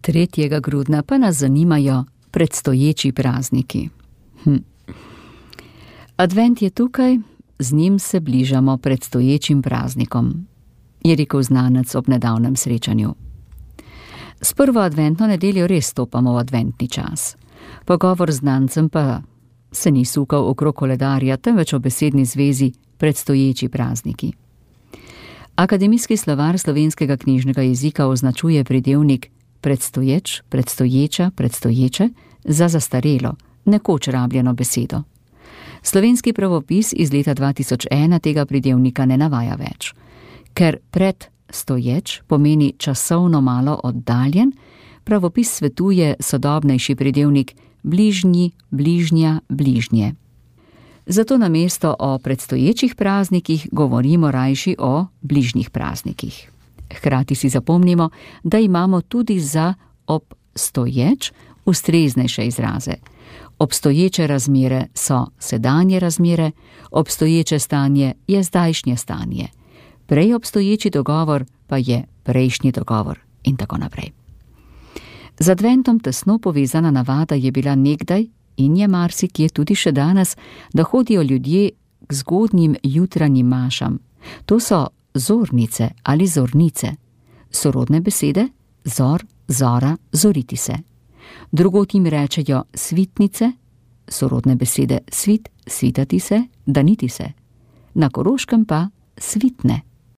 3. grudna pa nas zanimajo predstoječi prazniki. Advent je tukaj, z njim se bližamo predstoječim praznikom, je rekel znanec ob nedavnem srečanju. S prvo adventno nedeljo res stopamo v adventni čas. Pogovor z znancem pa se ni sukal okrog koledarja, temveč o besedni zvezi predstoječi prazniki. Akademijski slovar slovenskega knjižnega jezika označuje pridevnik predstoječ, predstoječa, predstoječe za zastarelo, nekoč rabljeno besedo. Slovenski pravopis iz leta 2001 tega pridevnika ne navaja več. Ker predstoječ pomeni časovno malo oddaljen, pravopis svetuje sodobnejši pridevnik bližnji, bližnja, bližnje. Zato namesto o predstoječih praznikih govorimo rajši o bližnjih praznikih. Hkrati si zapomnimo, da imamo tudi za obstoječ ustreznejše izraze. Obstoječe razmere so sedanje razmere, obstoječe stanje je zdajšnje stanje. Prej obstoječi dogovor pa je prejšnji dogovor in tako naprej. Z adventom tesno povezana navada je bila nekdaj in je marsikje tudi še danes, da hodijo ljudje k zgodnjim jutranjim mašam. To so zornice ali zornice. Sorodne besede zor, zora, zoriti se. Drugod jim rečejo svitnice, sorodne besede svit, svitati se, daniti se. Na Koroškem pa svitne.